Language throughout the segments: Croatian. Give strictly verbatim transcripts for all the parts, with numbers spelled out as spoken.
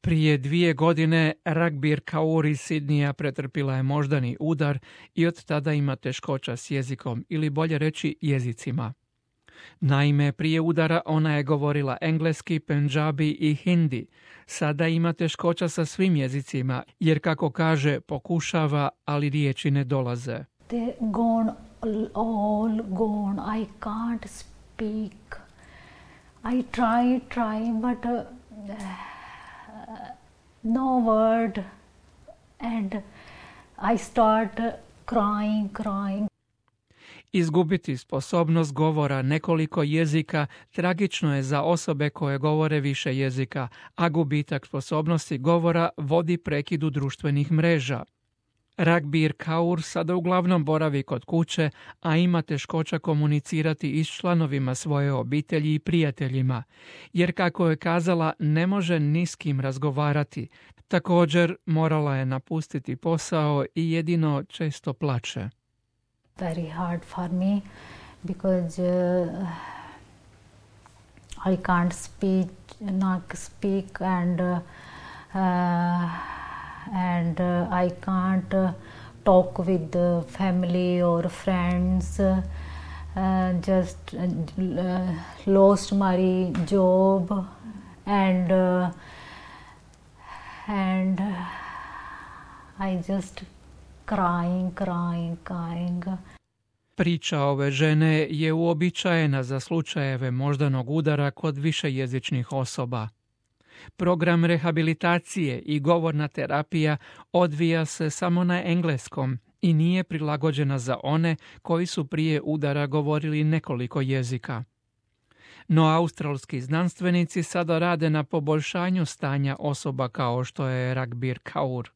Prije dvije godine Ragbir Kaur iz Sidnija pretrpila je moždani udar i od tada ima teškoća s jezikom, ili bolje reći jezicima. Naime, prije udara ona je govorila engleski, pendžabi i hindi. Sada ima teškoća sa svim jezicima, jer kako kaže, pokušava, ali riječi ne dolaze. They're gone, all gone. I can't speak. I try, try, but uh, no word. And I start crying, crying. Izgubiti sposobnost govora nekoliko jezika tragično je za osobe koje govore više jezika, a gubitak sposobnosti govora vodi prekidu društvenih mreža. Ragbir Kaur sada uglavnom boravi kod kuće, a ima teškoća komunicirati i s članovima svoje obitelji i prijateljima, jer kako je kazala, ne može ni s kim razgovarati. Također morala je napustiti posao i jedino često plače. Very hard for me because uh, I can't speak, not speak, and uh, uh, and uh, I can't uh, talk with the family or friends. Uh, just uh, lost my job, and uh, and uh, I just crying, crying, crying. Priča ove žene je uobičajena za slučajeve moždanog udara kod višejezičnih osoba. Program rehabilitacije i govorna terapija odvija se samo na engleskom i nije prilagođena za one koji su prije udara govorili nekoliko jezika. No australski znanstvenici sada rade na poboljšanju stanja osoba kao što je Ragbir Kaur.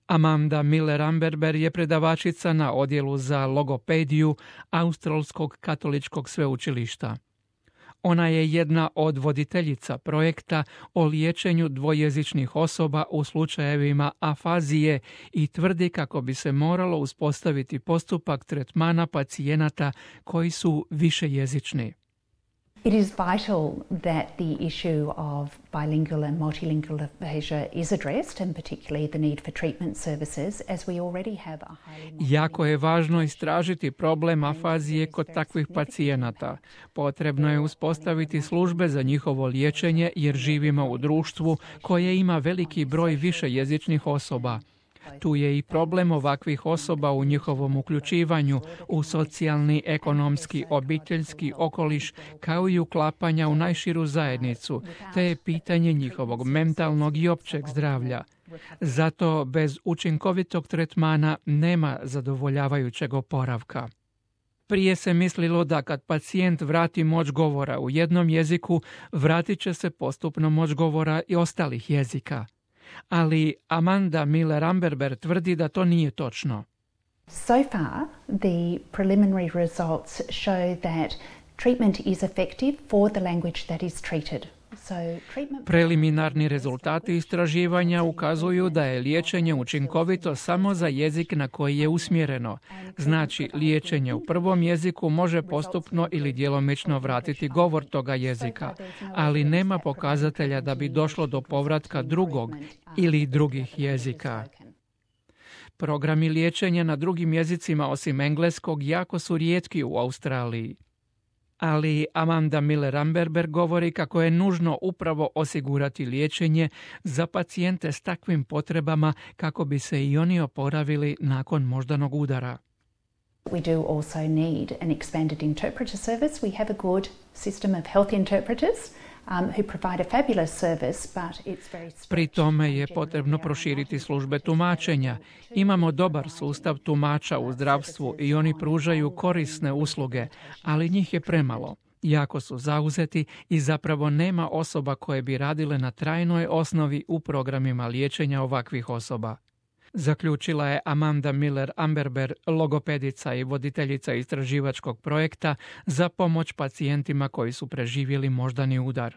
Amanda Miller-Amberber je predavačica na odjelu za logopediju Australskog katoličkog sveučilišta. Ona je jedna od voditeljica projekta o liječenju dvojezičnih osoba u slučajevima afazije i tvrdi kako bi se moralo uspostaviti postupak tretmana pacijenata koji su višejezični. It is vital that the issue of bilingual and multilingual aphasia is addressed, and particularly the need for treatment services, as we already have a highly... Jako je važno istražiti problem afazije kod takvih pacijenata. Potrebno je uspostaviti službe za njihovo liječenje jer živimo u društvu koje ima veliki broj višejezičnih osoba. Tu je i problem ovakvih osoba u njihovom uključivanju u socijalni, ekonomski, obiteljski okoliš kao i uklapanja u najširu zajednicu, te je pitanje njihovog mentalnog i općeg zdravlja. Zato bez učinkovitog tretmana nema zadovoljavajućeg oporavka. Prije se mislilo da kad pacijent vrati moć govora u jednom jeziku, vratit će se postupno moć govora i ostalih jezika. Ali Amanda Miller-Amberber tvrdi da to nije točno. So far, the preliminary results show that treatment is effective for the language that is treated. So, treatment... Preliminarni rezultati istraživanja ukazuju da je liječenje učinkovito samo za jezik na koji je usmjereno. Znači, liječenje u prvom jeziku može postupno ili djelomično vratiti govor toga jezika, ali nema pokazatelja da bi došlo do povratka drugog ili drugih jezika. Programi liječenja na drugim jezicima osim engleskog jako su rijetki u Australiji. Ali Amanda Miller-Amberber govori kako je nužno upravo osigurati liječenje za pacijente s takvim potrebama kako bi se i oni oporavili nakon moždanog udara. We do also need an expanded interpreter service. We have a good system of health interpreters um, who provide a fabulous service, but it's very stretched. Pri tome je potrebno proširiti službe tumačenja. Imamo dobar sustav tumača u zdravstvu i oni pružaju korisne usluge, ali njih je premalo. Jako su zauzeti i zapravo nema osoba koje bi radile na trajnoj osnovi u programima liječenja ovakvih osoba. Zaključila je Amanda Miller-Amberber, logopedica i voditeljica istraživačkog projekta za pomoć pacijentima koji su preživjeli moždani udar.